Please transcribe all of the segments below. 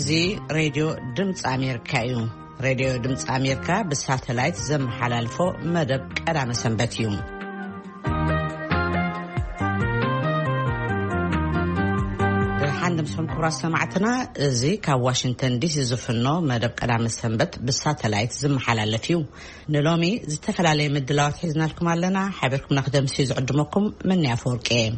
እዚ ሬድዮ ድምፂ ኣሜሪካ እዩ። ሬድዮ ድምፂ ኣሜሪካ ብሳተላይት ዘመሓላልፎ መደብ ቀዳመ ሰንበት እዩ። ደሓን ድምፅኹም ክቡራት ሰማዕትና፣ እዚ ካብ ዋሽንግተን ዲሲ ዝፍኖ መደብ ቀዳመ ሰንበት ብሳተላይት ዝመሓላለፍ እዩ። ንሎሚ ዝተፈላለየ ምድላዋት ሒዝናልኩም ኣለና። ሓቢርኩምና ክደምሲ ዝዕድመኩም መን ኣፈወርቂ እየ።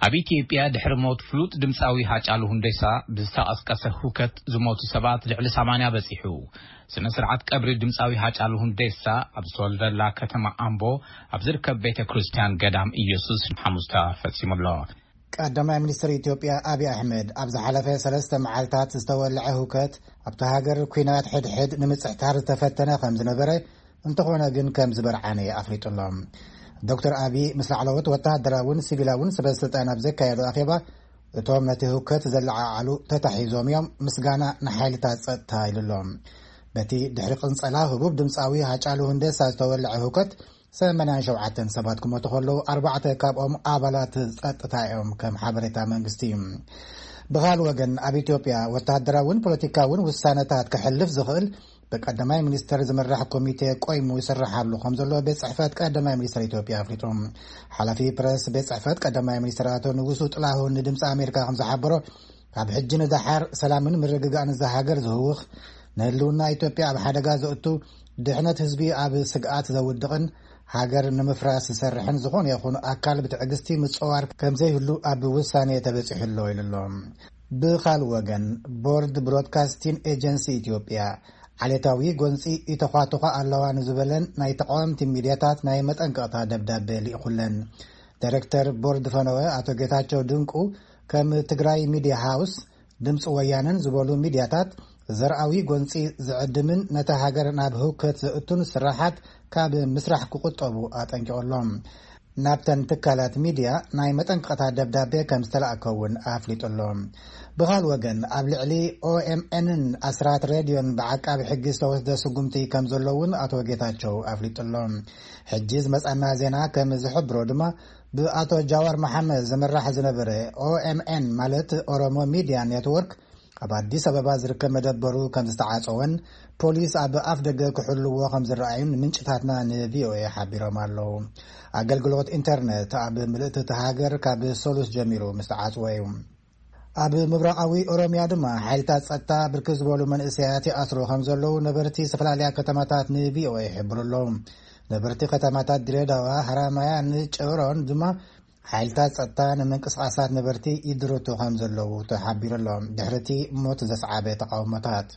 ኣብ ኢትዮጵያ ድሕሪ ሞት ፍሉጥ ድምፃዊ ሃጫሉ ሁንዴሳ ብዝተቐስቀሰ ሁከት ዝሞቱ ሰባት ልዕሊ ሰማንያ በፂሑ። ስነ ስርዓት ቀብሪ ድምፃዊ ሃጫሉ ሁንዴሳ ኣብ ዝተወልደላ ከተማ ኣምቦ ኣብ ዝርከብ ቤተ ክርስቲያን ገዳም ኢየሱስ ሓሙስ ተፈፂሙ ኣሎ። ቀዳማይ ሚኒስትር ኢትዮጵያ ኣብይ ኣሕመድ ኣብ ዝሓለፈ ሰለስተ መዓልታት ዝተወልዐ ሁከት ኣብቲ ሃገር ኲናት ሕድሕድ ንምጽሕታር ዝተፈተነ ከም ዝነበረ፣ እንተኾነ ግን ከም ዝበርዓነ ኣፍሊጡ ኣሎ። ዶክተር ኣብይ ምስ ላዕለዎት ወተሃደራውን ሲቪላውን ሰበ ስልጣን ኣብ ዘካየዶ ኣኼባ፣ እቶም ነቲ ህውከት ዘለዓዓሉ ተታሒዞም እዮም፣ ምስጋና ንሓይልታት ጸጥታ ኢሉ ኣሎ። በቲ ድሕሪ ቅንጸላ ህቡብ ድምጻዊ ሃጫሉ ሁንዴሳ ዝተወልዐ ህውከት ሰማንያን ሸውዓተን ሰባት ክሞቱ ከለዉ፣ ኣርባዕተ ካብኦም ኣባላት ጸጥታ እዮም፣ ከም ሓበሬታ መንግስቲ። ብኻል ወገን ኣብ ኢትዮጵያ ወተሃደራውን ፖለቲካውን ውሳነታት ክሕልፍ ዝኽእል ብቀዳማይ ሚኒስተር ዝምራሕ ኮሚቴ ቆይሙ ይስርሓሉ ከም ዘሎ ቤት ጽሕፈት ቀዳማይ ሚኒስተር ኢትዮጵያ ኣፍሊጡ። ሓላፊ ፕረስ ቤት ጽሕፈት ቀዳማይ ሚኒስተር ኣቶ ንጉሱ ጥላሁን ንድምፂ ኣሜሪካ ከም ዝሓበሮ፣ ካብ ሕጂ ንደሓር ሰላምን ምርግጋእን እዛ ሃገር ዝህውኽ፣ ንህልውና ኢትዮጵያ ኣብ ሓደጋ ዘእቱ፣ ድሕነት ህዝቢ ኣብ ስግኣት ዘውድቕን ሃገር ንምፍራስ ዝሰርሕን ዝኾነ ይኹን ኣካል ብትዕግስቲ ምጽዋር ከም ዘይህሉ ኣብ ውሳኔ ተበጺሑ ኣሎ ኢሉ ኣሎ። ብኻል ወገን፣ ቦርድ ብሮድካስቲን ኤጀንሲ ኢትዮጵያ ዓሌታዊ ጎንጺ ይተዃትዃ ኣለዋ ንዝበለን ናይ ተቃወምቲ ሚድያታት ናይ መጠንቀቕታ ደብዳቤ ልኢኹለን። ዳይሬክተር ቦርድ ፈነወ ኣቶ ጌታቸው ድንቁ፣ ከም ትግራይ ሚድያ ሃውስ፣ ድምፂ ወያነን ዝበሉ ሚድያታት ዘርኣዊ ጎንፂ ዝዕድምን ነታ ሃገር ናብ ህውከት ዘእቱን ስራሓት ካብ ምስራሕ ክቁጠቡ ኣጠንቂቑሎም። ናብተን ትካላት ሚድያ ናይ መጠንቀቕታ ደብዳቤ ከም ዝተላእከ እውን ኣፍሊጡ ኣሎ። ብኻል ወገን፣ ኣብ ልዕሊ ኦኤምኤንን ኣስራት ሬድዮን ብዓቃቢ ሕጊ ዝተወስደ ስጉምቲ ከም ዘሎ እውን ኣቶ ጌታቸው ኣፍሊጡ ኣሎ። ሕጂ ዝመጻና ዜና ከም ዝሕብሮ ድማ፣ ብኣቶ ጃዋር መሓመድ ዝምራሕ ዝነበረ ኦኤምኤን፣ ማለት ኦሮሞ ሚድያ ኔትወርክ፣ ኣብ ኣዲስ ኣበባ ዝርከብ መደበሩ ከም ዝተዓጸወን ፖሊስ ኣብ ኣፍ ደገ ክሕልዎ ከም ዝረኣዩን ምንጭታትና ንቪኦኤ ሓቢሮም ኣለዉ። ኣገልግሎት ኢንተርነት ኣብ ምልእቲ እቲ ሃገር ካብ ሰሉስ ጀሚሩ ምስ ተዓጽወ እዩ። ኣብ ምብራቓዊ ኦሮምያ ድማ ሓይልታት ጸጥታ ብርክት ዝበሉ መንእሰያት ይኣስሩ ከም ዘለዉ ነበርቲ ዝተፈላለያ ከተማታት ንቪኦኤ ይሕብሩ ኣለዉ። ነበርቲ ከተማታት ድሬዳዋ፣ ሃራማያን ጨሮን ድማ ሓይልታት ጸጥታ ንምንቅስቓሳት ነበርቲ ይድርቱ ከም ዘለዉ ተሓቢሩ ኣሎ። ድሕርቲ ሞት ዘስዓበ ተቃውሞታት።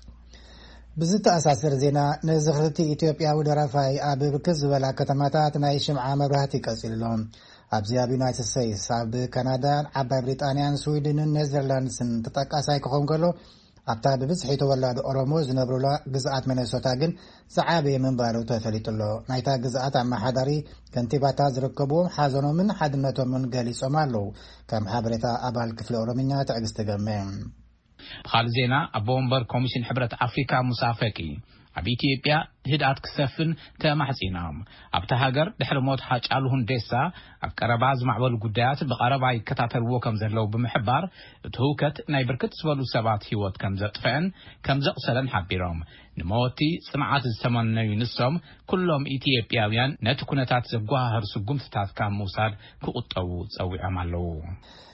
ብዝተኣሳሰር ዜና፣ ንዝኽርቲ ኢትዮጵያዊ ደራፋይ ኣብ ብርክት ዝበላ ከተማታት ናይ ሽምዓ መብራህቲ ቀጺሉ ኣሎ። ኣብዚ ኣብ ዩናይትድ ስቴትስ፣ ኣብ ካናዳን ዓባይ ብሪጣንያን ስዊድንን ኔዘርላንድስን ተጠቃሳይ ክኸውን ከሎ፣ ኣብታ ብብዝሒ ተወላዶ ኦሮሞ ዝነብሩላ ግዝኣት ሚነሶታ ግን ዝዓበየ ምንባሩ ተፈሊጡ ኣሎ። ናይታ ግዝኣት ኣመሓዳሪ ከንቲባታት ዝርከብዎም ሓዘኖምን ሓድነቶምን ገሊጾም ኣለዉ። ከም ሓበሬታ ኣባል ክፍሊ ኦሮምኛ ትዕግስቲ ገመ። ብኻልእ ዜና፣ ኣቦ ወንበር ኮሚሽን ሕብረት ኣፍሪካ ሙሳ ፈቂ ኣብ ኢትዮጵያ ህድኣት ክሰፍን ተማሕጺኖም። ኣብታ ሃገር ድሕሪ ሞት ሃጫሉ ሁንዴሳ ኣብ ቀረባ ዝማዕበሉ ጉዳያት ብቐረባ ይከታተልዎ ከም ዘለዉ ብምሕባር፣ እቲ ህውከት ናይ ብርክት ዝበሉ ሰባት ህይወት ከም ዘጥፈአን ከም ዘቑሰለን ሓቢሮም። ንመወቲ ጽንዓት ዝተመነዩ ንሶም፣ ኩሎም ኢትዮጵያውያን ነቲ ኩነታት ዘጓሃህር ስጉምትታት ካብ ምውሳድ ክቑጠቡ ጸዊዖም ኣለዉ።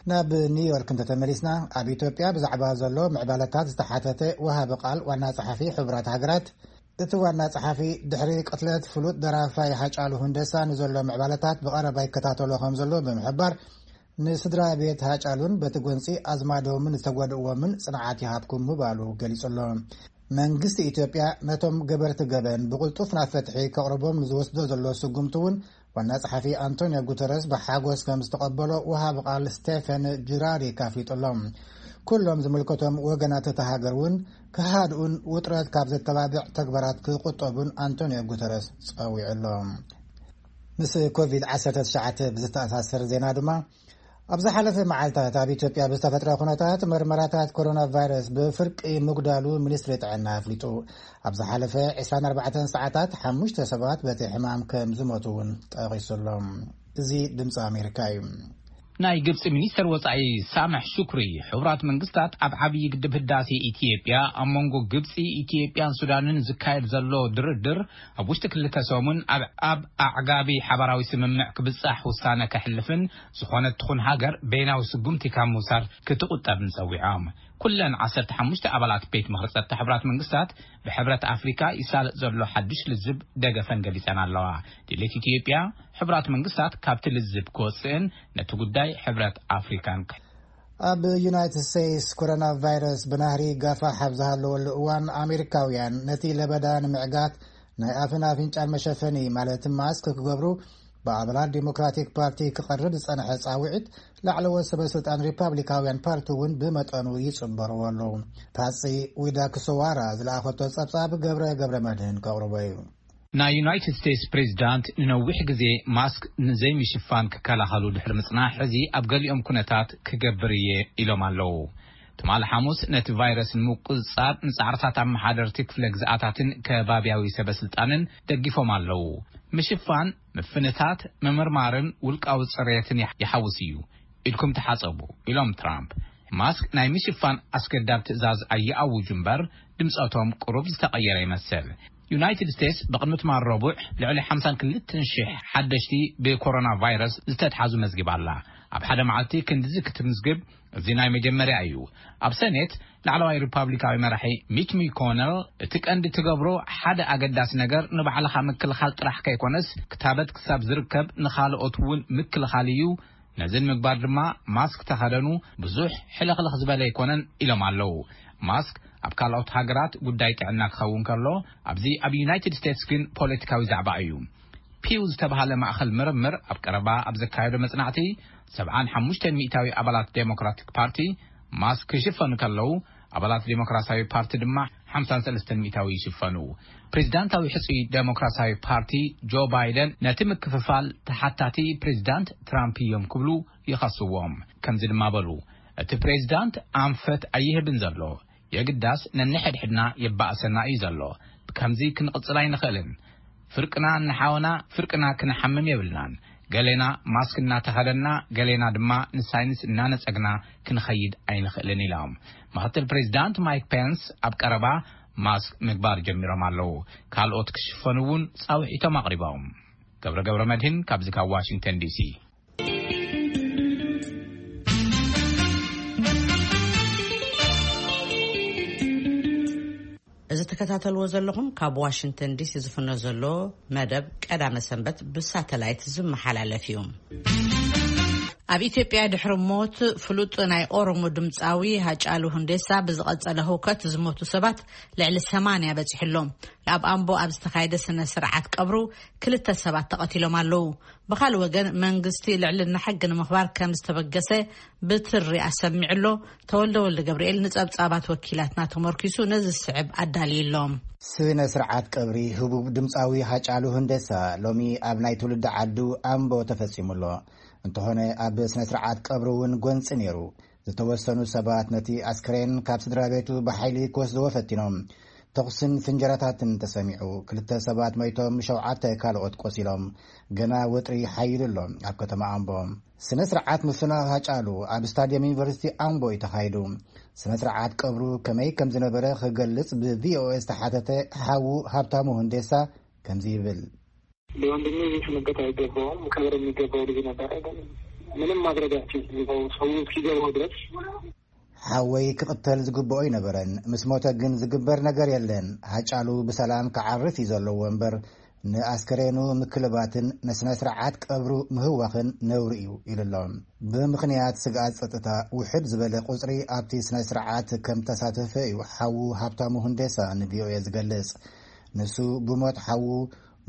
ናብ ኒውዮርክ እንተተመሊስና፣ ኣብ ኢትዮጵያ ብዛዕባ ዘሎ ምዕባለታት ዝተሓተተ ወሃቢ ቃል ዋና ጸሓፊ ሕቡራት ሃገራት፣ እቲ ዋና ጸሓፊ ድሕሪ ቅትለት ፍሉጥ ደራፋይ ሃጫሉ ሁንደሳ ንዘሎ ምዕባለታት ብቐረባ ይከታተሎ ከም ዘሎ ብምሕባር፣ ንስድራ ቤት ሃጫሉን በቲ ጎንጺ ኣዝማዶምን ዝተጎድእዎምን ጽንዓት ይሃብኩም ምባሉ ገሊጹ ኣሎ። መንግስቲ ኢትዮጵያ ነቶም ገበርቲ ገበን ብቕልጡፍ ናብ ፍትሒ ከቕርቦም ንዝወስዶ ዘሎ ስጉምቲ እውን ዋና ጸሓፊ ኣንቶኒዮ ጉተረስ ብሓጎስ ከም ዝተቐበሎ ወሃቢ ቃል ስቴፈን ጁራሪክ ኣፍሊጡ ኣሎ። ኩሎም ዝምልከቶም ወገናት እታ ሃገር እውን ክሃድኡን ውጥረት ካብ ዘተባብዕ ተግባራት ክቁጠቡን ኣንቶኒዮ ጉተረስ ጸዊዑ ኣሎ። ምስ ኮቪድ ዓሰርተ ትሽዓተ ብዝተኣሳሰር ዜና ድማ፣ ኣብ ዝሓለፈ መዓልታት ኣብ ኢትዮጵያ ብዝተፈጥረ ኩነታት መርመራታት ኮሮና ቫይረስ ብፍርቂ ምጉዳሉ ሚኒስትሪ ጥዕና ኣፍሊጡ። ኣብ ዝሓለፈ ዕስራን ኣርባዕተን ሰዓታት ሓሙሽተ ሰባት በቲ ሕማም ከም ዝሞቱ እውን ጠቒሱ ኣሎ። እዚ ድምፂ ኣሜሪካ እዩ። ናይ ግብፂ ሚኒስተር ወፃኢ ሳምሕ ሹክሪ፣ ሕቡራት መንግስታት ኣብ ዓብዪ ግድብ ህዳሴ ኢትዮጵያ ኣብ መንጎ ግብፂ፣ ኢትዮጵያን ሱዳንን ዝካየድ ዘሎ ድርድር ኣብ ውሽጢ ክልተ ሰሙን ኣብ ኣብ ኣዕጋቢ ሓባራዊ ስምምዕ ክብፃሕ ውሳነ ከሕልፍን ዝኾነት ትኹን ሃገር በይናዊ ስጉምቲ ካብ ምውሳድ ክትቁጠብን ፀዊዖም። ኩለን ዓሰርተ ሓሙሽተ ኣባላት ቤት ምኽሪ ጸጥታ ሕቡራት መንግስታት ብሕብረት ኣፍሪካ ይሳለጥ ዘሎ ሓድሽ ልዝብ ደገፈን ገሊጸን ኣለዋ። ድሌት ኢትዮጵያ፣ ሕቡራት መንግስታት ካብቲ ልዝብ ክወፅእን ነቲ ጉዳይ ሕብረት ኣፍሪካን ክሕ- ኣብ ዩናይትድ ስቴትስ፣ ኮሮና ቫይረስ ብናህሪ ጋፋሕ ኣብ ዝሃለወሉ እዋን፣ ኣሜሪካውያን ነቲ ለበዳ ንምዕጋት ናይ ኣፍን ኣፍንጫን መሸፈኒ፣ ማለት ማስክ፣ ክገብሩ ብኣባላት ዲሞክራቲክ ፓርቲ ክቐርብ ዝጸንሐ ጻውዒት፣ ላዕለዎት ሰበ ስልጣን ሪፓብሊካውያን ፓርቲ እውን ብመጠኑ ይጽበርዎ ኣለዉ። ፓትሲ ዊዳክሶዋራ ዝለኣኸቶ ጸብጻብ ገብረ ገብረ መድህን ከቕርቦ እዩ። ናይ ዩናይትድ ስቴትስ ፕሬዚዳንት ንነዊሕ ግዜ ማስክ ንዘይምሽፋን ክከላኸሉ ድሕሪ ምጽናሕ፣ ሕዚ ኣብ ገሊኦም ኩነታት ክገብር እየ ኢሎም ኣለዉ። ትማሊ ሓሙስ ነቲ ቫይረስ ንምቁጽጻር ንጻዕርታት ኣመሓደርቲ ክፍለ ግዝኣታትን ከባብያዊ ሰበ ስልጣንን ደጊፎም ኣለዉ። ምሽፋን፣ ምፍንታት፣ ምምርማርን ውልቃዊ ጽሬትን ይሓ- ይሓውስ እዩ። ኢድኩም ተሓጸቡ፣ ኢሎም ትራምፕ። ማስክ ናይ ምሽፋን ኣስገዳድ ትእዛዝ ኣይኣውጁ እምበር፣ ድምጸቶም ቁሩብ ዝተቐየረ ይመስል። ዩናይትድ ስቴትስ ብቕድሚ ትማል ረቡዕ ልዕሊ ሓምሳን ክልተን ሽሕ ሓደሽቲ ብኮሮና ቫይረስ ዝተትሓዙ መዝጊባ ኣላ። ኣብ ሓደ መዓልቲ ክንድዚ ክትምዝግብ እዚ ናይ መጀመርያ እዩ። ኣብ ሰኔት ላዕለዋይ ሪፓብሊካዊ መራሒ ሚች ሚኮነል፣ እቲ ቀንዲ ትገብሮ ሓደ ኣገዳሲ ነገር ንባዕልኻ ምክልኻል ጥራሕ ከይኮነስ፣ ክታበት ክሳብ ዝርከብ ንኻልኦት እውን ምክልኻል እዩ። ነዚ ንምግባር ድማ ማስክ ተኸደኑ፣ ብዙሕ ሕልኽልኽ ዝበለ ኣይኮነን ኢሎም ኣለዉ። ማስክ ኣብ ካልኦት ሃገራት ጉዳይ ጥዕና ክኸውን ከሎ፣ ኣብዚ ኣብ ዩናይትድ ስቴትስ ግን ፖለቲካዊ ዛዕባ እዩ። ፒው ዝተባህለ ማእኸል ምርምር ኣብ ቀረባ ኣብ ዘካየዶ መጽናዕቲ፣ ሰብዓን ሓሙሽተን ሚእታዊ ኣባላት ዴሞክራቲክ ፓርቲ ማስክ ክሽፈኑ ከለዉ፣ ኣባላት ዴሞክራሲያዊ ፓርቲ ድማ ሓምሳን ሰለስተን ሚእታዊ ይሽፈኑ። ፕሬዚዳንታዊ ሕጹይ ዴሞክራሲያዊ ፓርቲ ጆ ባይደን ነቲ ምክፍፋል ተሓታቲ ፕሬዚዳንት ትራምፕ እዮም ክብሉ ይኸስዎም። ከምዚ ድማ በሉ፣ እቲ ፕሬዚዳንት ኣንፈት ኣይህብን ዘሎ፣ የግዳስ ነንሕድሕድና የባእሰና እዩ ዘሎ። ብከምዚ ክንቕጽል ኣይንኽእልን። ፍርቅና ንሓውና ፍርቅና ክንሓምም የብልናን። ገሌና ማስክ እናተኸደና፣ ገሌና ድማ ንሳይንስ እናነጸግና ክንኸይድ ኣይንኽእልን ኢሎም። ምኽትል ፕሬዚዳንት ማይክ ፔንስ ኣብ ቀረባ ማስክ ምግባር ጀሚሮም ኣለዉ። ካልኦት ክሽፈኑ እውን ጻውዒቶም ኣቕሪቦም። ገብረ ገብረ መድህን ካብዚ ካብ ዋሽንግተን ዲሲ። እዚ ትከታተልዎ ዘለኹም ካብ ዋሽንግተን ዲሲ ዝፍኖ ዘሎ መደብ ቀዳመ ሰንበት ብሳተላይት ዝመሓላለፍ እዩ። ኣብ ኢትዮጵያ ድሕሪ ሞት ፍሉጥ ናይ ኦሮሞ ድምፃዊ ሃጫሉ ሁንዴሳ ብዝቐጸለ ህውከት ዝሞቱ ሰባት ልዕሊ ሰማንያ በጺሑ ኣሎ። ኣብ ኣምቦ ኣብ ዝተኻየደ ስነ ስርዓት ቀብሩ ክልተ ሰባት ተቐቲሎም ኣለዉ። ብኻልእ ወገን መንግስቲ ልዕልና ሕጊ ንምኽባር ከም ዝተበገሰ ብትሪ ኣሰሚዑ ኣሎ። ተወልደ ወልደ ገብርኤል ንጸብጻባት ወኪላትና ተመርኪሱ ነዚ ዝስዕብ ኣዳልዩ ኣሎ። ስነ ስርዓት ቀብሪ ህቡብ ድምፃዊ ሃጫሉ ሁንዴሳ ሎሚ ኣብ ናይ ትውልዲ ዓዱ ኣምቦ ተፈጺሙ ኣሎ። እንተኾነ ኣብ ስነ ስርዓት ቀብሪ እውን ጎንፂ ነይሩ። ዝተወሰኑ ሰባት ነቲ ኣስክሬን ካብ ስድራ ቤቱ ብሓይሊ ክወስድዎ ፈቲኖም። ተኹስን ፍንጀራታትን ተሰሚዑ። ክልተ ሰባት ሞይቶም፣ ሸውዓተ ካልኦት ቆሲሎም። ገና ወጥሪ ሓይሉ ኣሎ ኣብ ከተማ ኣምቦ። ስነ ስርዓት ምፍናው ሃጫሉ ኣብ ስታድየም ዩኒቨርሲቲ ኣምቦ እዩ ተኻይዱ። ስነ ስርዓት ቀብሩ ከመይ ከም ዝነበረ ክገልጽ ብ ቪ ኦ ኤ ዝተሓተተ ሓዉ ሃብታሙ ሁንዴሳ ከምዚ ይብል። ለወንድሜ ቤት መገት አይገባውም። ክብር የሚገባው ልጅ ነበረ፣ ግን ምንም ማድረግ አልችልም። ሰው እስኪገባው ድረስ ሓወይ ክቕተል ዝግብኦ ኣይነበረን። ምስ ሞተ ግን ዝግበር ነገር የለን። ሃጫሉ ብሰላም ክዓርፍ እዩ ዘለዎ እምበር፣ ንኣስከሬኑ ምክልባትን ንስነ ስርዓት ቀብሩ ምህዋኽን ነውሪ እዩ ኢሉ ኣሎ። ብምኽንያት ስግኣት ጸጥታ፣ ውሕድ ዝበለ ቁጽሪ ኣብቲ ስነ ስርዓት ከም ተሳተፈ እዩ ሓዉ ሃብታሙ ሁንዴሳ ን ቪ ኦ ኤ ዝገልጽ። ንሱ ብሞት ሓዉ፣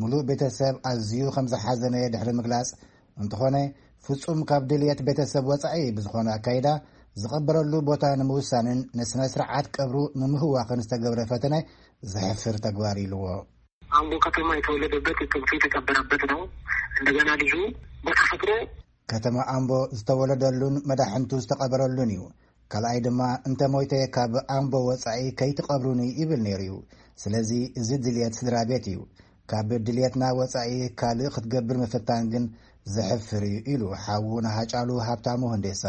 ምሉእ ቤተሰብ ኣዝዩ ከም ዝሓዘነ ድሕሪ ምግላጽ፣ እንተኾነ፣ ፍጹም ካብ ድልየት ቤተሰብ ወጻኢ ብዝኾነ ኣካይዳ ዝቐበረሉ ቦታ ንምውሳንን ንስነ ስርዓት ቀብሩ ንምህዋኽን ዝተገብረ ፈተነ ዘሕፍር ተግባር ኢልዎ። አምቦ ከተማ የተወለደበት፣ እትብቱ የተቀበረበት ነው። እንደገና ልጁ በተፈጥሮ ከተማ ኣምቦ ዝተወለደሉን መዳሕንቱ ዝተቐበረሉን እዩ። ካልኣይ ድማ፣ እንተ ሞይተ ካብ ኣምቦ ወጻኢ ከይትቐብሩኒ ይብል ነይሩ እዩ። ስለዚ እዚ ድልየት ስድራ ቤት እዩ። ካብ ድልየትና ወጻኢ ካልእ ክትገብር ምፍታን ግን ዘሕፍር እዩ ኢሉ ሓዉ ንሃጫሉ ሃብታሙ ህንዴሳ።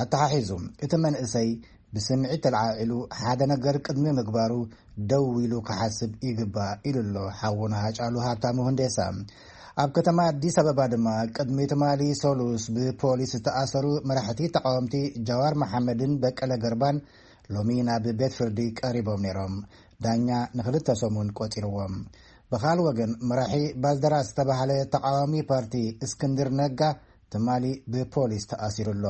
ኣተሓሒዙ፣ እቲ መንእሰይ ብስምዒት ተለዓዒሉ ሓደ ነገር ቅድሚ ምግባሩ ደው ኢሉ ክሓስብ ይግባእ ኢሉ ኣሎ ሓዉ ንሃጫሉ ሃብታሙ ህንዴሳ። ኣብ ከተማ ኣዲስ ኣበባ ድማ ቅድሚ ትማሊ ሰሉስ ብፖሊስ ዝተኣሰሩ መራሕቲ ተቃወምቲ ጃዋር መሓመድን በቀለ ገርባን ሎሚ ናብ ቤት ፍርዲ ቀሪቦም ነይሮም። ዳኛ ንክልተ ሰሙን ቆጺርዎም። ብኻል ወገን መራሒ ባልደራስ ዝተባህለ ተቃዋሚ ፓርቲ እስክንድር ነጋ ትማሊ ብፖሊስ ተኣሲሩ ኣሎ።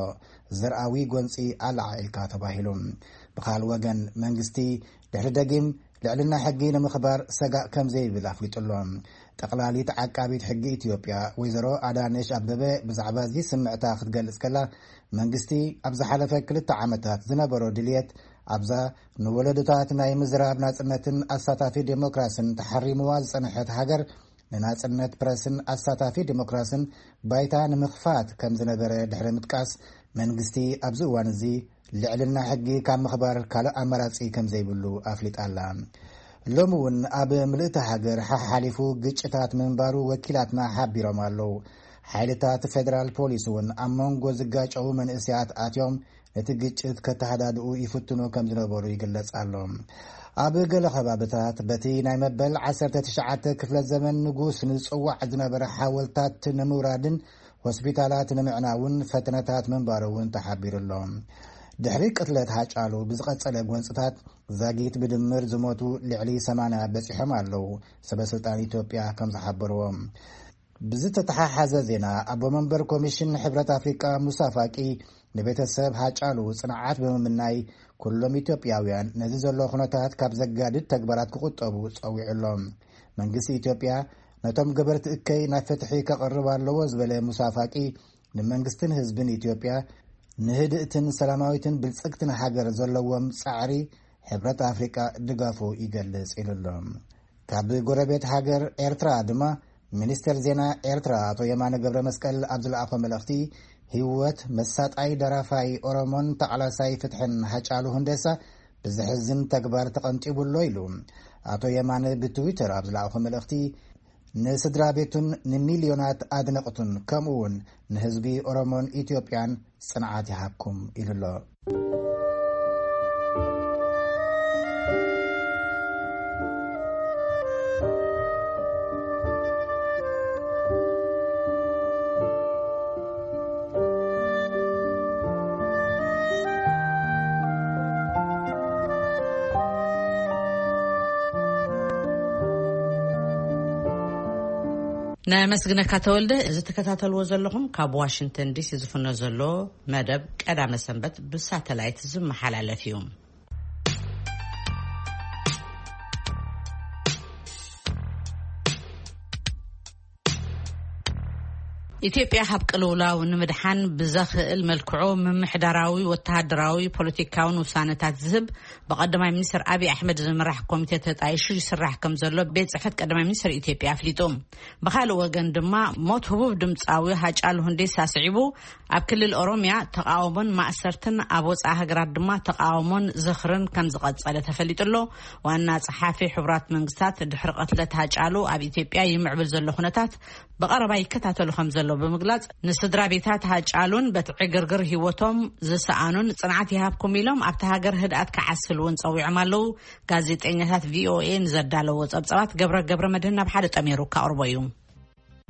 ዘርኣዊ ጎንፂ ኣለዓዒልካ ተባሂሉ። ብኻል ወገን መንግስቲ ድሕሪ ደጊም ልዕልና ሕጊ ንምኽባር ሰጋእ ከም ዘይብል ኣፍሊጡ ኣሎ። ጠቕላሊት ዓቃቢት ሕጊ ኢትዮጵያ ወይዘሮ ኣዳነሽ ኣበበ ብዛዕባ እዚ ስምዕታ ክትገልጽ ከላ፣ መንግስቲ ኣብ ዝሓለፈ ክልተ ዓመታት ዝነበሮ ድልየት ኣብዛ ንወለዶታት ናይ ምዝራብ ናጽነትን ኣሳታፊ ዴሞክራስን ተሓሪምዋ ዝጸንሐት ሃገር ንናጽነት ፕረስን ኣሳታፊ ዴሞክራስን ባይታ ንምኽፋት ከም ዝነበረ ድሕሪ ምጥቃስ፣ መንግስቲ ኣብዚ እዋን እዚ ልዕልና ሕጊ ካብ ምኽባር ካልእ ኣማራጺ ከም ዘይብሉ ኣፍሊጣ ኣላ። ሎሚ እውን ኣብ ምልእቲ ሃገር ሓሓሊፉ ግጭታት ምንባሩ ወኪላትና ሓቢሮም ኣለዉ። ሓይልታት ፌደራል ፖሊስ እውን ኣብ መንጎ ዝጋጨዉ መንእሰያት ኣትዮም ነቲ ግጭት ከተሃዳድኡ ይፍትኑ ከም ዝነበሩ ይግለጽ ኣሎ። ኣብ ገለ ከባብታት በቲ ናይ መበል ዓሰርተ ትሽዓተ ክፍለ ዘመን ንጉስ ንጽዋዕ ዝነበረ ሓወልታት ንምውራድን ሆስፒታላት ንምዕናውን ፈተነታት ምንባሩ እውን ተሓቢሩ ኣሎ። ድሕሪ ቅትለት ሃጫሉ ብዝቐጸለ ጎንጽታት ዛጊት ብድምር ዝሞቱ ልዕሊ ሰማንያ በጺሖም ኣለዉ፣ ሰበ ስልጣን ኢትዮጵያ ከም ዝሓበርዎ። ብዝተተሓሓዘ ዜና፣ ኣቦ መንበር ኮሚሽን ሕብረት ኣፍሪቃ ሙሳ ፋቂ ንቤተሰብ ሃጫሉ ጽንዓት ብምምናይ፣ ኩሎም ኢትዮጵያውያን ነዚ ዘሎ ኩነታት ካብ ዘጋድድ ተግባራት ክቁጠቡ ጸዊዑ ኣሎ። መንግስቲ ኢትዮጵያ ነቶም ገበርቲ እከይ ናብ ፍትሒ ከቕርብ ኣለዎ ዝበለ ሙሳ ፋቂ፣ ንመንግስትን ህዝብን ኢትዮጵያ ንህድእትን ሰላማዊትን ብልጽግትን ሃገር ዘለዎም ጻዕሪ ሕብረት ኣፍሪቃ ድጋፉ ይገልጽ ኢሉ ኣሎ። ካብ ጎረቤት ሃገር ኤርትራ ድማ ሚኒስትር ዜና ኤርትራ ኣቶ የማነ ገብረ መስቀል ኣብ ዝለኣኾ መልእኽቲ፣ ህይወት መሳጣይ ደራፋይ ኦሮሞን ተቓላሳይ ፍትሕን ሃጫሉ ሁንዴሳ ብዘሕዝን ተግባር ተቐንጢቡ ኣሎ ኢሉ። ኣቶ የማነ ብትዊተር ኣብ ዝለኣኾ መልእኽቲ፣ ንስድራ ቤቱን ንሚልዮናት ኣድነቕቱን ከምኡ እውን ንህዝቢ ኦሮሞን ኢትዮጵያን ጽንዓት ይሃብኩም ኢሉ ኣሎ። ነመስግነካ ተወልደ። እዚ ትከታተልዎ ዘለኹም ካብ ዋሽንግተን ዲሲ ዝፍኖ ዘሎ መደብ ቀዳመ ሰንበት ብሳተላይት ዝመሓላለፍ እዩ። ኢትዮጵያ ካብ ቅልውላው ንምድሓን ብዘኽእል መልክዑ ምምሕዳራዊ፣ ወተሃደራዊ፣ ፖለቲካውን ውሳነታት ዝህብ ብቀዳማይ ሚኒስትር ኣብይ ኣሕመድ ዝምራሕ ኮሚቴ ተጣይሹ ይስራሕ ከም ዘሎ ቤት ጽሕፈት ቀዳማይ ሚኒስትር ኢትዮጵያ ኣፍሊጡ። ብኻልእ ወገን ድማ ሞት ህቡብ ድምፃዊ ሃጫሉ ሁንዴሳ ስዒቡ ኣብ ክልል ኦሮሚያ ተቃውሞን ማእሰርትን ኣብ ወፃኢ ሃገራት ድማ ተቃውሞን ዝኽርን ከም ዝቐጸለ ተፈሊጡ ኣሎ። ዋና ጸሓፊ ሕቡራት መንግስታት ድሕሪ ቅትለት ሃጫሉ ኣብ ኢትዮጵያ ይምዕብል ዘሎ ኩነታት ብቐረባ ይከታተሉ ከም ዘሎ ብምግላጽ፣ ንስድራ ቤታት ሃጫሉን በቲ ዕግርግር ህይወቶም ዝሰኣኑን ጽንዓት ይሃብኩም ኢሎም ኣብቲ ሃገር ህድኣት ክዓስል እውን ጸዊዖም ኣለዉ። ጋዜጠኛታት ቪኦኤ ንዘዳለዎ ጸብጻባት ገብረ ገብረ መድህን ናብ ሓደ ጠሚሩ ካቕርቦ እዩ።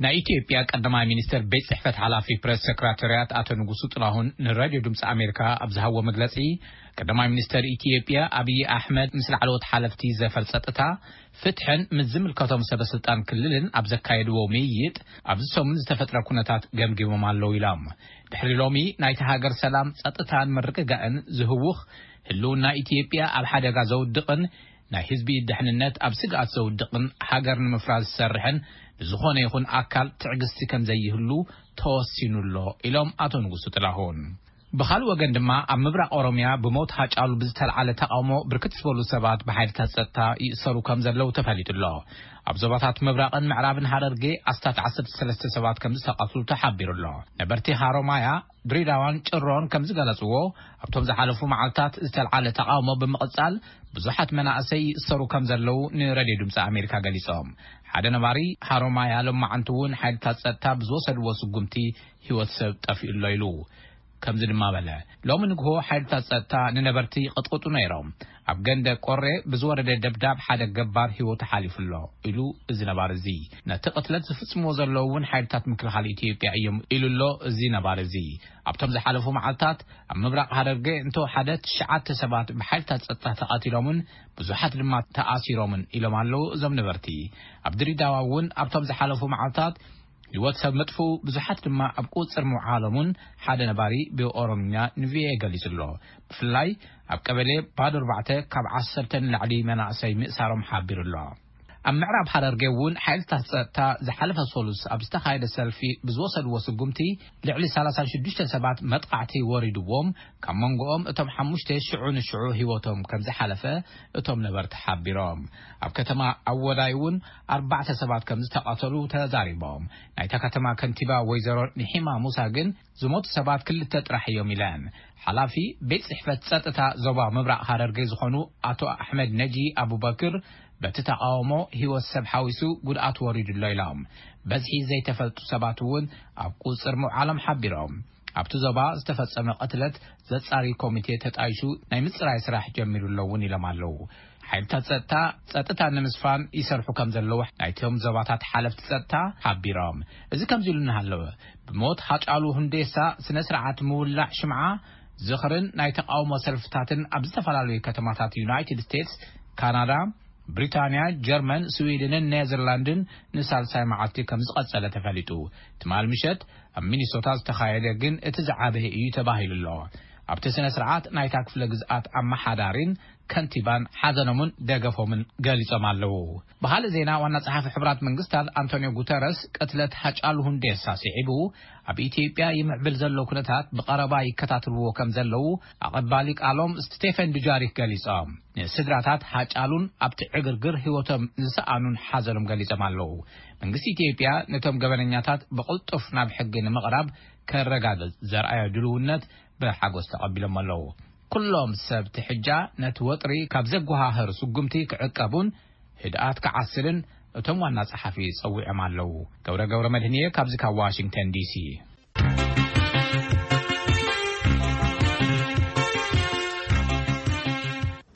ናይ ኢትዮጵያ ቀዳማይ ሚኒስትር ቤት ጽሕፈት ሓላፊ ፕሬስ ሰክራተርያት ኣቶ ንጉሱ ጥላሁን ንራድዮ ድምፂ ኣሜሪካ ኣብ ዝሃቦ መግለጺ፣ ቀዳማይ ሚኒስትር ኢትዮጵያ ኣብይ ኣሕመድ ምስ ላዕለዎት ሓለፍቲ ዘፈር ጸጥታ ፍትሕን ምስ ዝምልከቶም ሰበ ስልጣን ክልልን ኣብ ዘካየድዎ ምይይጥ፣ ኣብዚ ሰሙን ዝተፈጥረ ኩነታት ገምጊሞም ኣለዉ ኢሎም። ድሕሪ ሎሚ ናይቲ ሃገር ሰላም፣ ጸጥታን ምርግጋእን ዝህውኽ፣ ህልውና ኢትዮጵያ ኣብ ሓደጋ ዘውድቕን ናይ ህዝቢ ድሕንነት ኣብ ስግኣት ዘውድቕን ሃገር ንምፍራስ ዝሰርሕን ብዝኾነ ይኹን ኣካል ትዕግስቲ ከም ዘይህሉ ተወሲኑ ኣሎ ኢሎም ኣቶ ንጉሱ ጥላሁን። ብኻልእ ወገን ድማ፣ ኣብ ምብራቕ ኦሮምያ ብሞት ሃጫሉ ብዝተልዓለ ተቓውሞ ብርክት ዝበሉ ሰባት ብሓይልታት ጸጥታ ይእሰሩ ከም ዘለዉ ተፈሊጡ ኣሎ። ኣብ ዞባታት ምብራቕን ምዕራብን ሃረርጌ ኣስታት ዓሰርተ ሰለስተ ሰባት ከም ዝተቐትሉ ተሓቢሩ ኣሎ። ነበርቲ ሃሮማያ፣ ድሬዳዋን ጭሮን ከም ዝገለጽዎ፣ ኣብቶም ዝሓለፉ መዓልታት ዝተልዓለ ተቓውሞ ብምቕጻል፣ ብዙሓት መናእሰይ ይእሰሩ ከም ዘለዉ ንሬድዮ ድምጺ ኣሜሪካ ገሊጾም። ሓደ ነባሪ ሃሮማያ ሎማዓንቲ እውን ሓይልታት ጸጥታ ብዝወሰድዎ ስጉምቲ ህይወት ሰብ ጠፊኡ ኣሎ ኢሉ። ከምዚ ድማ በለ፣ ሎሚ ንግሆ ሓይልታት ጸጥታ ንነበርቲ ይቕጥቅጡ ነይሮም። ኣብ ገንደ ቆሬ ብዝወረደ ደብዳብ ሓደ ገባር ህይወቱ ሓሊፉ ኣሎ ኢሉ እዚ ነባሪ እዚ። ነቲ ቅትለት ዝፍጽምዎ ዘለዉ እውን ሓይልታት ምክልኻል ኢትዮጵያ እዮም ኢሉ ኣሎ እዚ ነባሪ እዚ። ኣብቶም ዝሓለፉ መዓልታት ኣብ ምብራቕ ሃረርጌ እንተወሓደ ትሽዓተ ሰባት ብሓይልታት ጸጥታ ተቐቲሎምን ብዙሓት ድማ ተኣሲሮምን ኢሎም ኣለዉ እዞም ነበርቲ። ኣብ ድሬዳዋ እውን ኣብቶም ዝሓለፉ መዓልታት ህይወት ሰብ ምጥፍኡ፣ ብዙሓት ድማ ኣብ ቁጽር ምውዓሎምን ሓደ ነባሪ ብኦሮምኛ ንቪኦኤ ገሊጹ ኣሎ። ብፍላይ ኣብ ቀበሌ ባዶ ኣርባዕተ ካብ ዓሰርተ ንላዕሊ መናእሰይ ምእሳሮም ሓቢሩ ኣሎ። ኣብ ምዕራብ ሃረርጌ እውን ሓይልታት ጸጥታ ዝሓለፈ ሰሉስ ኣብ ዝተኻየደ ሰልፊ ብዝወሰድዎ ስጉምቲ ልዕሊ ሰላሳ ሽዱሽተ ሰባት መጥቃዕቲ ወሪድዎም፣ ካብ መንጎኦም እቶም ሓሙሽተ ሽዑ ንሽዑ ህይወቶም ከም ዝሓለፈ እቶም ነበርቲ ሓቢሮም። ኣብ ከተማ ኣወዳይ እውን ኣርባዕተ ሰባት ከም ዝተቐተሉ ተዛሪቦም። ናይታ ከተማ ከንቲባ ወይዘሮ ንሒማ ሙሳ ግን ዝሞቱ ሰባት ክልተ ጥራሕ እዮም ኢለን። ሓላፊ ቤት ጽሕፈት ጸጥታ ዞባ ምብራቕ ሃረርጌ ዝኾኑ ኣቶ ኣሕመድ ነጂ ኣቡበክር በቲ ተቓውሞ ህይወት ሰብ ሓዊሱ ጉድኣት ወሪዱ ኣሎ ኢሎም። በዝሒ ዘይተፈልጡ ሰባት እውን ኣብ ቁጽር ምውዓሎም ሓቢሮም። ኣብቲ ዞባ ዝተፈጸመ ቅትለት ዘጻሪ ኮሚቴ ተጣይሹ ናይ ምጽራይ ስራሕ ጀሚሩ ኣሎ እውን ኢሎም ኣለዉ። ሓይልታት ጸጥታ፣ ጸጥታ ንምስፋን ይሰርሑ ከም ዘለዉ ናይቶም ዞባታት ሓለፍቲ ጸጥታ ሓቢሮም። እዚ ከምዚ ኢሉ እናሃለወ፣ ብሞት ሃጫሉ ሁንዴሳ ስነ ስርዓት ምውላዕ ሽምዓ ዝኽርን ናይ ተቃውሞ ሰልፍታትን ኣብ ዝተፈላለዩ ከተማታት ዩናይትድ ስቴትስ፣ ካናዳ፣ ብሪታንያ፣ ጀርመን፣ ስዊድንን ኔዘርላንድን ንሳልሳይ መዓልቲ ከም ዝቐጸለ ተፈሊጡ። ትማል ምሸት ኣብ ሚኒሶታ ዝተኻየደ ግን እቲ ዝዓበየ እዩ ተባሂሉ ኣሎ። ኣብቲ ስነ ስርዓት ናይታ ክፍለ ግዝኣት ኣመሓዳሪን ከንቲባን ሓዘኖምን ደገፎምን ገሊጾም ኣለዉ። ብኻልእ ዜና፣ ዋና ጸሓፊ ሕቡራት መንግስታት ኣንቶኒዮ ጉተረስ ቅትለት ሃጫሉ ሁንዴሳ ስዒቡ፣ ኣብ ኢትዮጵያ ይምዕብል ዘሎ ኩነታት ብቐረባ ይከታተልዎ ከም ዘለዉ ኣቐባሊ ቃሎም ስቴፈን ዱጃሪክ ገሊጾም። ንስድራታት ሃጫሉን ኣብቲ ዕግርግር ህይወቶም ዝሰኣኑን ሓዘኖም ገሊጾም ኣለዉ። መንግስቲ ኢትዮጵያ ነቶም ገበነኛታት ብቕልጡፍ ናብ ሕጊ ንምቕራብ ከረጋግጽ ዘርኣዮ ድልውነት ብሓጎስ ተቐቢሎም ኣለዉ። ኩሎም ሰብ ትሕጃ ነቲ ወጥሪ ካብ ዘጓሃህር ስጉምቲ ክዕቀቡን ህድኣት ክዓስልን እቶም ዋና ጸሓፊ ጸዊዖም ኣለዉ። ገብረ ገብረ መድህንየ ካብዚ ካብ ዋሽንግተን ዲሲ።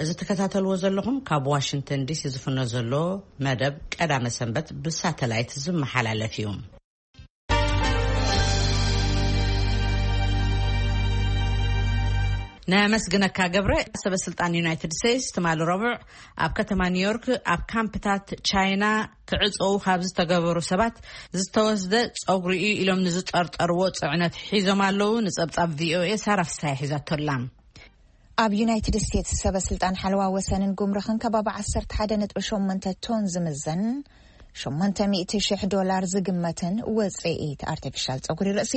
እዚ ትከታተልዎ ዘለኹም ካብ ዋሽንግተን ዲሲ ዝፍኖ ዘሎ መደብ ቀዳመ ሰንበት ብሳተላይት ዝመሓላለፍ እዩ። ነመስግነካ ገብረ። ሰበ ስልጣን ዩናይትድ ስቴትስ ትማሊ ረቡዕ ኣብ ከተማ ኒውዮርክ ኣብ ካምፕታት ቻይና ክዕፀው ካብ ዝተገበሩ ሰባት ዝተወስደ ፀጉሪ እዩ ኢሎም ንዝጠርጠርዎ ፅዕነት ሒዞም ኣለዉ። ንፀብፃብ ቪኦኤ ሳራ ፍስሃ ሒዛቶ ኣላ። ኣብ ዩናይትድ ስቴትስ ሰበ ስልጣን ሓለዋ ወሰንን ጉምሩኽን ከባቢ ዓሰርተ ሓደ ነጥቢ ሸሞንተ ቶን ዝምዘን ሸሞንተ ሚእቲ ሽሕ ዶላር ዝግመትን ውፅኢት ኣርቲፊሻል ፀጉሪ ርእሲ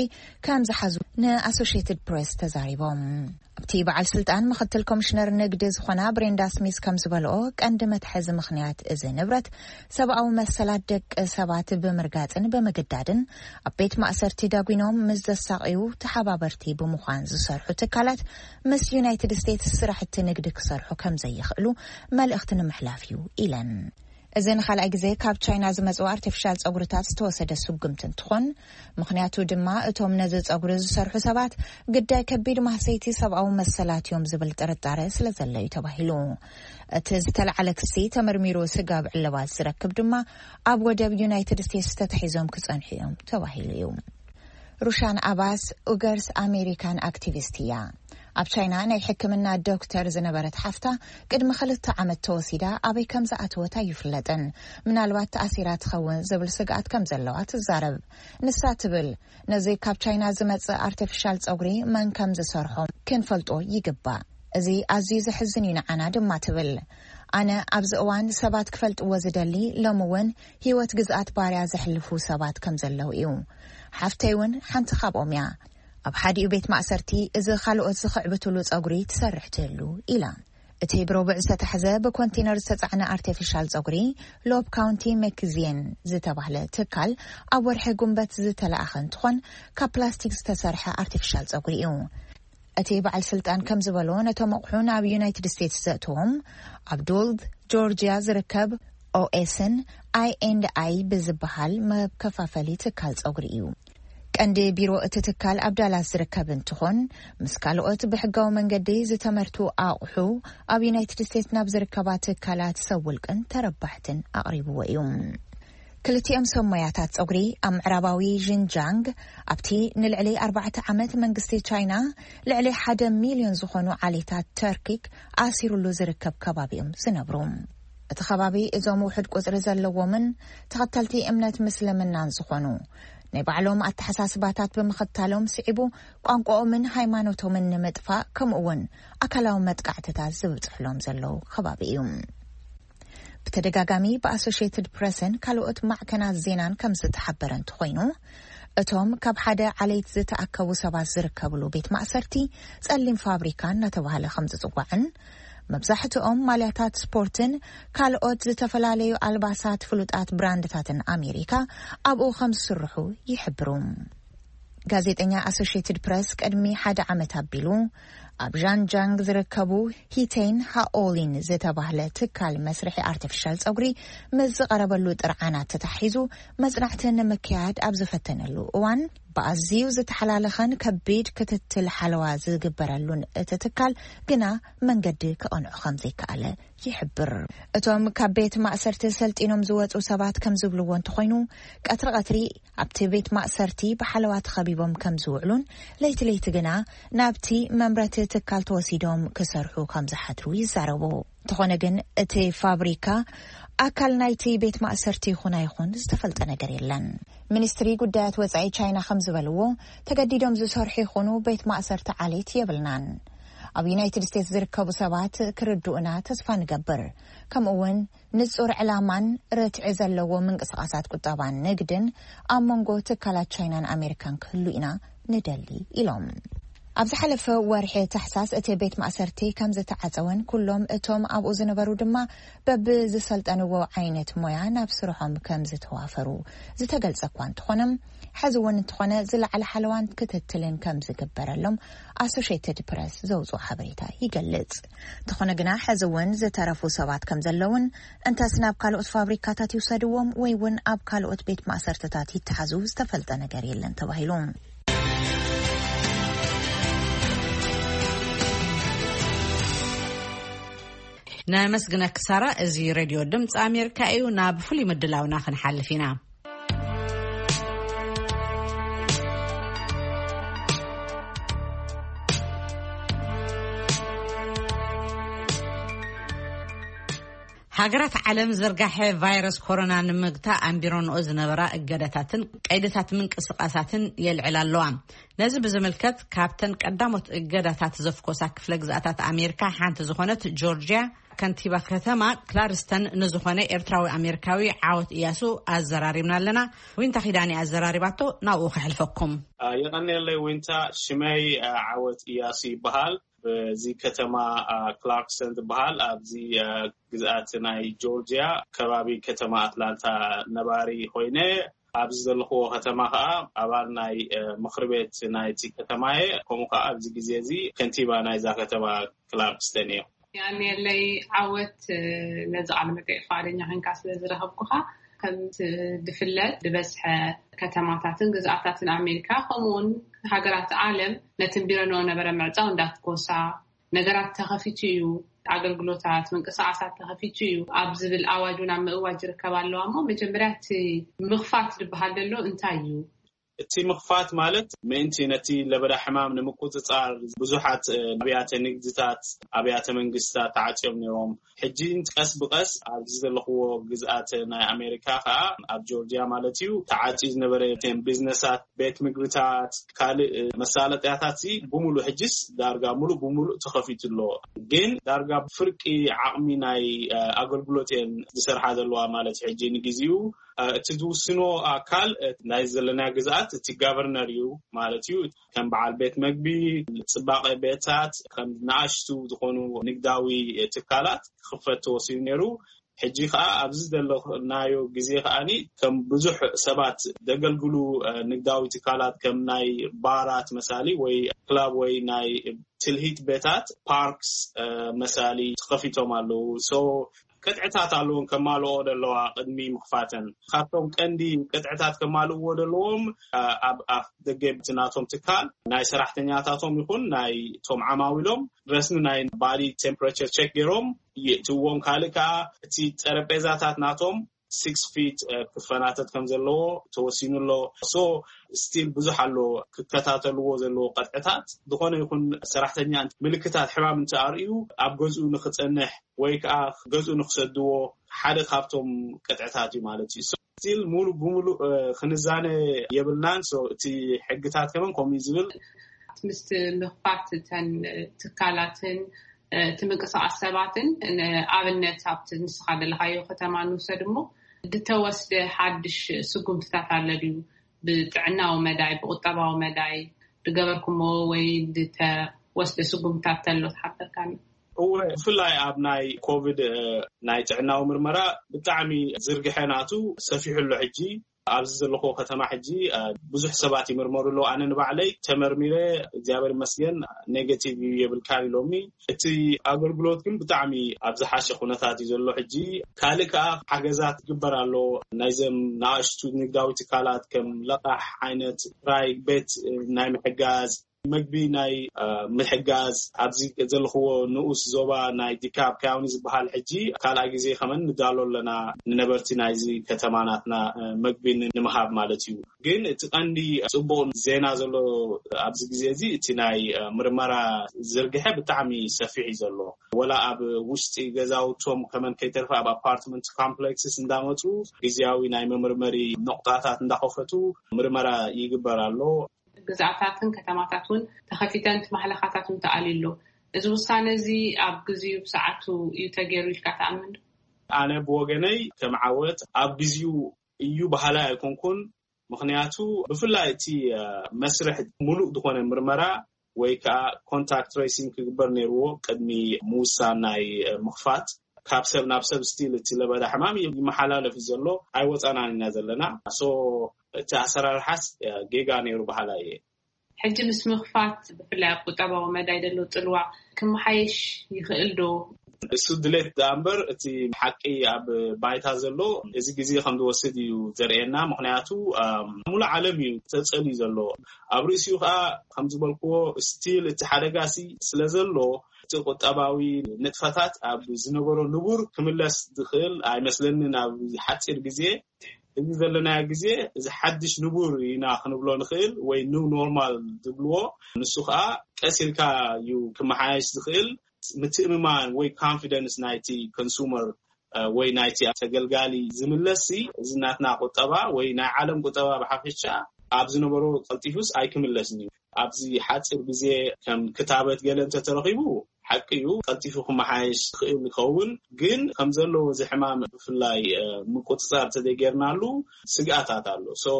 ከም ዝሓዙ ንኣሶሽየትድ ፕሬስ ተዛሪቦም። ኣብቲ በዓል ስልጣን ምኽትል ኮሚሽነር ንግዲ ዝኾና ብሬንዳ ስሚዝ ከም ዝበልኦ፣ ቀንዲ መትሐዚ ምኽንያት እዚ ንብረት ሰብኣዊ መሰላት ደቂ ሰባት ብምርጋፅን ብምግዳድን ኣብ ቤት ማእሰርቲ ዳጒኖም ምስ ዘሳቕዩ ተሓባበርቲ ብምዃን ዝሰርሑ ትካላት ምስ ዩናይትድ ስቴትስ ስራሕቲ ንግዲ ክሰርሑ ከም ዘይኽእሉ መልእኽቲ ንምሕላፍ እዩ ኢለን። እዚ ንኻልኣይ ግዜ ካብ ቻይና ዝመጽኡ ኣርቲፊሻል ጸጉርታት ዝተወሰደ ስጉምቲ እንትኾን፣ ምኽንያቱ ድማ እቶም ነዚ ጸጉሪ ዝሰርሑ ሰባት ግዳይ ከቢድ ማህሰይቲ ሰብኣዊ መሰላት እዮም ዝብል ጥርጣረ ስለ ዘሎ እዩ ተባሂሉ። እቲ ዝተለዓለ ክሲ ተመርሚሩ ስጋብ ዕልባት ዝረክብ ድማ ኣብ ወደብ ዩናይትድ ስቴትስ ተታሒዞም ክጸንሑ እዮም ተባሂሉ እዩ። ሩሻን ኣባስ ኡገርስ ኣሜሪካን ኣክቲቪስት እያ። ኣብ ቻይና ናይ ሕክምና ዶክተር ዝነበረት ሓፍታ ቅድሚ ክልተ ዓመት ተወሲዳ ኣበይ ከም ዝኣተወት ኣይፍለጥን። ምናልባት ተኣሲራ ትኸውን ዝብል ስግኣት ከም ዘለዋ ትዛረብ። ንሳ ትብል፣ ነዚ ካብ ቻይና ዝመጽእ ኣርቲፊሻል ጸጉሪ መን ከም ዝሰርሖ ክንፈልጦ ይግባእ። እዚ ኣዝዩ ዘሕዝን እዩ ንዓና ድማ ትብል። ኣነ ኣብዚ እዋን ሰባት ክፈልጥዎ ዝደሊ ሎሚ እውን ህይወት ግዝኣት ባርያ ዘሕልፉ ሰባት ከም ዘለዉ እዩ። ሓፍተይ እውን ሓንቲ ካብኦም እያ። ኣብ ሓዲኡ ቤት ማእሰርቲ እዚ ካልኦት ዝኽዕብትሉ ጸጉሪ ትሰርሕ ትህሉ ኢላ። እቲ ብረቡዕ ዝተታሕዘ ብኮንቴነር ዝተጻዕነ ኣርቲፊሻል ጸጉሪ ሎብ ካውንቲ መክዚየን ዝተባህለ ትካል ኣብ ወርሒ ጉንበት ዝተለኣኸ እንትኾን ካብ ፕላስቲክ ዝተሰርሐ ኣርቲፊሻል ጸጉሪ እዩ። እቲ በዓል ስልጣን ከም ዝበሎ ነቶም ኣቑሑ ናብ ዩናይትድ ስቴትስ ዘእትዎም ኣብ ዶልድ ጆርጂያ ዝርከብ ኦኤስን ኣይ ኤንድ ኣይ ብዝበሃል መከፋፈሊ ትካል ጸጉሪ እዩ። ቀንዲ ቢሮ እቲ ትካል ኣብ ዳላስ ዝርከብ እንትኾን ምስ ካልኦት ብሕጋዊ መንገዲ ዝተመርቱ ኣቑሑ ኣብ ዩናይትድ ስቴትስ ናብ ዝርከባ ትካላት ሰብ ውልቅን ተረባሕትን ኣቕሪብዎ እዩ። ክልቲኦም ሰብ ሞያታት ጸጉሪ ኣብ ምዕራባዊ ዥንጃንግ ኣብቲ ንልዕሊ ኣርባዕተ ዓመት መንግስቲ ቻይና ልዕሊ ሓደ ሚልዮን ዝኾኑ ዓሌታት ተርኪክ ኣሲሩሉ ዝርከብ ከባቢ እዮም ዝነብሩ። እቲ ከባቢ እዞም ውሑድ ቁጽሪ ዘለዎምን ተኸተልቲ እምነት ምስልምናን ዝኾኑ ናይ ባዕሎም ኣተሓሳስባታት ብምኽታሎም ስዒቡ ቋንቋኦምን ሃይማኖቶምን ንምጥፋእ ከምኡ እውን ኣካላዊ መጥቃዕትታት ዝብጽሕሎም ዘለዉ ከባቢ እዩ። ብተደጋጋሚ ብኣሶሽየትድ ፕረስን ካልኦት ማዕከናት ዜናን ከም ዝተሓበረ እንተኾይኑ እቶም ካብ ሓደ ዓሌት ዝተኣከቡ ሰባት ዝርከብሉ ቤት ማእሰርቲ ጸሊም ፋብሪካ እናተባህለ ከም ዝጽዋዕን መብዛሕትኦም ማልያታት ስፖርትን ካልኦት ዝተፈላለዩ ኣልባሳት ፍሉጣት ብራንድታትን ኣሜሪካ ኣብኡ ከም ዝስርሑ ይሕብሩ። ጋዜጠኛ ኣሶሽየትድ ፕረስ ቅድሚ ሓደ ዓመት ኣቢሉ ኣብ ዣንጃንግ ዝርከቡ ሂቴን ሃኦሊን ዝተባህለ ትካል መስርሒ ኣርቲፊሻል ጸጉሪ ምስ ዝቐረበሉ ጥርዓናት ተታሒዙ መጽናዕቲ ንምክያድ ኣብ ዝፈተነሉ እዋን ብኣዝዩ ዝተሓላለኸን ከቢድ ክትትል ሓለዋ ዝግበረሉን እቲ ትካል ግና መንገዲ ክቐንዑ ከም ዘይከኣለ ይሕብር። እቶም ካብ ቤት ማእሰርቲ ሰልጢኖም ዝወጹ ሰባት ከም ዝብልዎ እንተኾይኑ ቀትሪ ቀትሪ ኣብቲ ቤት ማእሰርቲ ብሓለዋ ተኸቢቦም ከም ዝውዕሉን ለይቲ ለይቲ ግና ናብቲ መምረቲ ትካል ተወሲዶም ክሰርሑ ከም ዝሓድሩ ይዛረቡ። እንተኾነ ግን እቲ ፋብሪካ ኣካል ናይቲ ቤት ማእሰርቲ ይኹን ኣይኹን ዝተፈልጠ ነገር የለን። ሚኒስትሪ ጉዳያት ወጻኢ ቻይና ከም ዝበልዎ ተገዲዶም ዝሰርሑ ይኹኑ ቤት ማእሰርቲ ዓሌት የብልናን። ኣብ ዩናይትድ ስቴትስ ዝርከቡ ሰባት ክርድኡና ተስፋ ንገብር። ከምኡ እውን ንጹር ዕላማን ርትዒ ዘለዎ ምንቅስቓሳት ቁጠባን ንግድን ኣብ መንጎ ትካላት ቻይናን ኣሜሪካን ክህሉ ኢና ንደሊ ኢሎም። ኣብ ዝሓለፈ ወርሒ ታሕሳስ እቲ ቤት ማእሰርቲ ከም ዝተዓጸወን ኩሎም እቶም ኣብኡ ዝነበሩ ድማ በብዝሰልጠንዎ ዓይነት ሞያ ናብ ስርሖም ከም ዝተዋፈሩ ዝተገልጸ እኳ እንተኾነ ሕዚ እውን እንተኾነ ዝለዓለ ሓለዋን ክትትልን ከም ዝግበረሎም ኣሶሽየትድ ፕረስ ዘውፅኦ ሓበሬታ ይገልጽ። እንተኾነ ግና ሕዚ እውን ዝተረፉ ሰባት ከም ዘለውን እንተስ ናብ ካልኦት ፋብሪካታት ይውሰድዎም ወይ እውን ኣብ ካልኦት ቤት ማእሰርትታት ይተሓዙ ዝተፈልጠ ነገር የለን ተባሂሉ። ነመስግነኪ ሳራ። እዚ ሬድዮ ድምፂ ኣሜሪካ እዩ። ናብ ፍሉይ ምድላውና ክንሓልፍ ኢና። ሃገራት ዓለም ዝርጋሐ ቫይረስ ኮሮና ንምግታእ ኣንቢረንኦ ዝነበራ እገዳታትን ቀይድታት ምንቅስቓሳትን የልዕላ ኣለዋ። ነዚ ብዝምልከት ካብተን ቀዳሞት እገዳታት ዘፍኮሳ ክፍለ ግዝኣታት ኣሜሪካ ሓንቲ ዝኾነት ጆርጅያ ከንቲባ ከተማ ክላርስተን ንዝኾነ ኤርትራዊ ኣሜሪካዊ ዓወት እያሱ ኣዘራሪብና ኣለና። ዊንታ ኪዳኒ ኣዘራሪባቶ፣ ናብኡ ከሕልፈኩም። የቐንየለይ ዊንታ። ሽመይ ዓወት እያሱ ይበሃል። በዚ ከተማ ክላርክስተን ዝበሃል ኣብዚ ግዝኣት ናይ ጆርጅያ ከባቢ ከተማ ኣትላንታ ነባሪ ኮይነ ኣብዚ ዘለኽዎ ከተማ ከዓ ኣባል ናይ ምኽሪ ቤት ናይቲ ከተማ እየ። ከምኡ ከዓ ኣብዚ ግዜ እዚ ከንቲባ ናይዛ ከተማ ክላርክስተን እየ። ያኔለይ ዓወት ነዚ ቃለ መጠይቅ ፍቃደኛ ኮይንካ ስለ ዝረኸብኩኻ ከም ዝፍለጥ ዝበዝሐ ከተማታትን ግዝኣታትን ኣሜሪካ ከምኡውን ሃገራት ዓለም ነቲ ቢረንኦ ነበረ ምዕፃው እንዳትኮሳ ነገራት ተኸፊቱ እዩ፣ ኣገልግሎታት ምንቅስቃሳት ተኸፊቱ እዩ ኣብ ዝብል ኣዋጅ እውን ኣብ ምእዋጅ ይርከብ ኣለዋ። እሞ መጀመርያ እቲ ምኽፋት ዝበሃል ዘሎ እንታይ እዩ? እቲ ምኽፋት ማለት ምእንቲ ነቲ ለበዳ ሕማም ንምቁፅፃር ብዙሓት ኣብያተ ንግድታት ኣብያተ መንግስታት ተዓፅዮም ነይሮም። ሕጂ ቀስ ብቀስ ኣብዚ ዘለኽዎ ግዝኣት ናይ ኣሜሪካ ከዓ ኣብ ጆርጅያ ማለት እዩ ተዓፅዩ ዝነበረ ቢዝነሳት ቤት ምግብታት ካልእ መሳለጥያታት ሲ ብሙሉእ ሕጅስ ዳርጋ ሙሉእ ብሙሉእ ተኸፊቱ ኣሎ። ግን ዳርጋ ፍርቂ ዓቕሚ ናይ ኣገልግሎት እየን ዝሰርሓ ዘለዋ ማለት ሕጂ ንግዜኡ እቲ ዝውስኖ ኣካል ናይ ዘለና ግዝኣት እቲ ጋቨርነር እዩ ማለት እዩ። ከም በዓል ቤት መግቢ፣ ጽባቐ ቤታት፣ ከም ንኣሽቱ ዝኾኑ ንግዳዊ ትካላት ክኽፈት ተወሲኑ ነይሩ። ሕጂ ከኣ ኣብዚ ዘለናዮ ግዜ ከኣኒ ከም ብዙሕ ሰባት ዘገልግሉ ንግዳዊ ትካላት ከም ናይ ባራት መሳሊ ወይ ክላብ ወይ ናይ ትልሂት ቤታት ፓርክስ መሳሊ ተኸፊቶም ኣለዉ። ቅጥዕታት ኣለዎም ከማልኦ ዘለዋ ቅድሚ ምኽፋተን። ካብቶም ቀንዲ ቅጥዕታት ከማልእዎ ዘለዎም ኣብ ኣፍ ደገ ናቶም ትካል ናይ ሰራሕተኛታቶም ይኹን ናይ ቶም ዓማዊሎም ረስሚ ናይ ባዲ ቴምፕሬቸር ቸክ ገይሮም ይእትዎም። ካልእ ከዓ እቲ ጠረጴዛታት ናቶም ሲክስ ፊት ክፈናተት ከም ዘለዎ ተወሲኑ ኣሎ። ሶ ስቲል ብዙሕ ኣሎ ክከታተልዎ ዘለዎ ቀጥዕታት። ዝኾነ ይኹን ሰራሕተኛ ምልክታት ሕማም እንተኣርእዩ ኣብ ገዝኡ ንክፀንሕ ወይ ከዓ ገዝኡ ንክሰድዎ ሓደ ካብቶም ቀጥዕታት እዩ ማለት እዩ። ስቲል ሙሉ ብሙሉ ክንዛነ የብልናን። እቲ ሕግታት ከመን ከምኡ ዝብል ምስ ምኽፋት እተን ትካላትን እቲ ምንቅስቃስ ሰባትን ንኣብነት ኣብቲ ንስኻ ዘለኻዮ ከተማ ንውሰድ እሞ ዝተወስደ ሓድሽ ስጉምትታት ኣሎ ድዩ? ብጥዕናዊ መዳይ ብቁጠባዊ መዳይ ዝገበርኩሞ ወይ ዝተወስደ ስጉምትታት ተሎ ትሓበርካኒ? እወ፣ ብፍላይ ኣብ ናይ ኮቪድ ናይ ጥዕናዊ ምርመራ ብጣዕሚ ዝርግሐ ናቱ ሰፊሑ ኣሎ። ሕጂ ኣብዚ ዘለኹ ከተማ ሕጂ ብዙሕ ሰባት ይምርመሩ ኣለዉ። ኣነ ንባዕለይ ተመርሚረ እግዚኣብሔር ይመስገን ኔጌቲቭ እዩ የብልካ ኢሎምኒ። እቲ ኣገልግሎት ግን ብጣዕሚ ኣብ ዝሓሸ ኩነታት እዩ ዘሎ። ሕጂ ካልእ ከዓ ሓገዛት ይግበር ኣሎ። ናይዘም ንኣሽቱ ንግዳዊ ትካላት ከም ለቃሕ ዓይነት ራይ ቤት ናይ ምሕጋዝ መግቢ ናይ ምሕጋዝ ኣብዚ ዘለኽዎ ንኡስ ዞባ ናይ ዲካብ ካውኒ ዝበሃል ሕጂ ካልኣይ ግዜ ከመን ንዳሎ ኣለና ንነበርቲ ናይዚ ከተማ ናትና መግቢ ንምሃብ ማለት እዩ። ግን እቲ ቀንዲ ፅቡቅ ዜና ዘሎ ኣብዚ ግዜ እዚ እቲ ናይ ምርመራ ዝርግሐ ብጣዕሚ ሰፊሕ እዩ ዘሎ። ወላ ኣብ ውሽጢ ገዛውቶም ከመን ከይተርፈ ኣብ ኣፓርትመንት ኮምፕሌክስስ እንዳመፁ ግዜያዊ ናይ መመርመሪ ነቁጣታት እንዳኸፈቱ ምርመራ ይግበር ኣሎ። ግዝኣታትን ከተማታት እውን ተኸፊተን እቲ ማሕለኻታት እውን ተኣልዩ ኣሎ። እዚ ውሳነ እዚ ኣብ ግዜኡ ብሰዓቱ እዩ ተገይሩ ኢልካ ትኣምን ዶ? ኣነ ብወገነይ ከም ዓወት ኣብ ግዜኡ እዩ በሃላይ ኣይኮንኩን። ምኽንያቱ ብፍላይ እቲ መስርሕ ሙሉእ ዝኾነ ምርመራ ወይ ከዓ ኮንታክት ትሬሲንግ ክግበር ነይርዎ ቅድሚ ምውሳን ናይ ምኽፋት። ካብ ሰብ ናብ ሰብ ስቲል እቲ ለበዳ ሕማም ይመሓላለፍ እዩ ዘሎ። ኣይወፃናን ኢና ዘለና። ሶ እቲ ኣሰራርሓስ ጌጋ ነይሩ በሃላ እየ። ሕጂ ምስ ምኽፋት ብፍላይ ኣብ ቁጠባዊ መዳይ ዘሎ ፅልዋ ክመሓየሽ ይኽእል ዶ? እሱ ድሌት ደኣ እምበር እቲ ሓቂ ኣብ ባይታ ዘሎ እዚ ግዜ ከም ዝወስድ እዩ ዘርእየና። ምኽንያቱ ሙሉእ ዓለም እዩ ተፀልዩ ዘሎ። ኣብ ርእሲኡ ከዓ ከም ዝበልክዎ ስቲል እቲ ሓደጋ ሲ ስለ ዘሎ እቲ ቁጠባዊ ንጥፈታት ኣብ ዝነበሮ ንቡር ክምለስ ዝኽእል ኣይመስለንን ኣብ ሓፂር ግዜ። እዚ ዘለናዮ ግዜ እዚ ሓድሽ ንቡር ኢና ክንብሎ ንኽእል ወይ ኒው ኖርማል ዝብልዎ ንሱ ከዓ ቀስ ኢልካ እዩ ክመሓየሽ ዝኽእል። ምትእምማን ወይ ኮንፊደንስ ናይቲ ኮንሱመር ወይ ናይቲ ተገልጋሊ ዝምለስ እዚ ናትና ቁጠባ ወይ ናይ ዓለም ቁጠባ ብሓፈሻ ኣብ ዝነበሮ ቀልጢፉስ ኣይክምለስን እዩ። ኣብዚ ሓፂር ግዜ ከም ክታበት ገለ እንተተረኺቡ ሓቂ እዩ ቀልጢፉ ክመሓየሽ ክእል ይኸውን። ግን ከም ዘለዎ እዚ ሕማም ብፍላይ ምቁፅፃር ተዘይገርናሉ ስግኣታት ኣሎ። ሶ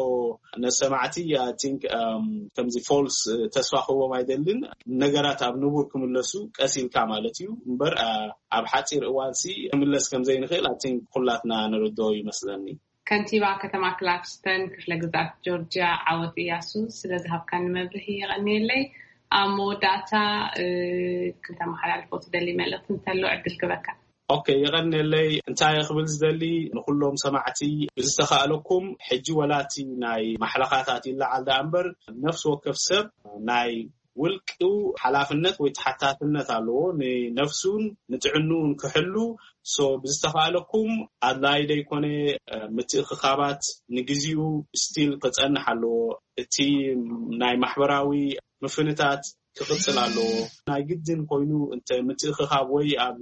ነሰማዕቲ ቲንክ ከምዚ ፎልስ ተስፋ ክህቦም ኣይደልን። ነገራት ኣብ ንቡር ክምለሱ ቀስ ኢልካ ማለት እዩ እምበር ኣብ ሓፂር እዋንሲ ክምለስ ከምዘይንኽእል ኣቲንክ ኩላትና ንርድኦ ይመስለኒ። ከንቲባ ከተማ ክላክስተን ክፍለ ግዛት ጆርጅያ ዓወት እያሱ ስለ ዝሃብካኒ መብርሂ የቐንየለይ። ኣብ መወዳእታ ክተመሓላልፎ ትደሊ መልእኽቲ እንተሎ ዕድል ክበካ። ኦኬ፣ የቐንየለይ። እንታይ ክብል ዝደሊ ንኩሎም ሰማዕቲ ብዝተኻእለኩም ሕጂ ወላቲ ናይ ማሕለኻታት ይለዓል ደኣ እምበር ነፍሲ ወከፍ ሰብ ናይ ውልቅኡ ሓላፍነት ወይ ተሓታትነት ኣለዎ ንነፍሱን ንጥዕንኡን ክሕሉ። ሶ ብዝተኻእለኩም ኣድላይ ደይኮነ ምትእኽኻባት ንግዚኡ ስቲል ክፀንሕ ኣለዎ። እቲ ናይ ማሕበራዊ ምፍንታት ክቕፅል ኣለዎ። ናይ ግድን ኮይኑ እንተ ምትእኽኻብ ወይ ኣብ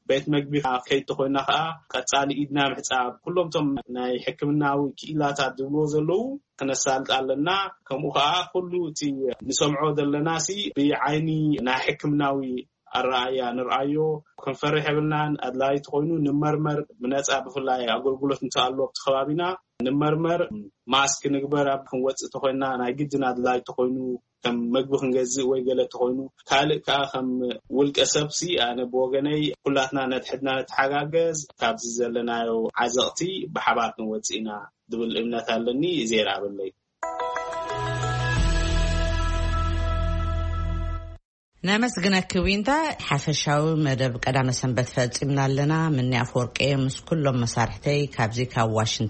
ቤት መግቢ ከይድ ተኮይና ከዓ ቀፃሊ ኢድና ምሕፃብ ኩሎም ቶም ናይ ሕክምናዊ ክኢላታት ዝብልዎ ዘለዉ ክነሳልጥ ኣለና። ከምኡ ከዓ ኩሉ እቲ ንሰምዖ ዘለና ሲ ብዓይኒ ናይ ሕክምናዊ ኣረኣያ ንርኣዮ። ክንፈርሕ የብልናን። ኣድላይ ተኮይኑ ንመርመር፣ ብነፃ ብፍላይ ኣገልግሎት እንተኣሉ ኣብቲ ከባቢና ንመርመር። ማስክ ንግበር፣ ኣብ ክንወፅእ ተኮይና ናይ ግድን ኣድላይ ተኮይኑ ከም መግቢ ክንገዝእ ወይ ገለ ተኮይኑ፣ ካልእ ከዓ ከም ውልቀ ሰብሲ ኣነ ብወገነይ ኩላትና ነትሕድና ንተሓጋገዝ፣ ካብዚ ዘለናዮ ዓዘቕቲ ብሓባር ክንወፅእ ኢና ዝብል እምነት ኣለኒ። እዜ ይረኣበለይ። ነመስግነኪ ዊንታ። ሓፈሻዊ መደብ ቀዳመ ሰንበት ፈጺምና ኣለና። ምኒ ኣፈወርቂ ምስ ኩሎም መሳርሕተይ ካብዚ ካብ ዋሽንግተን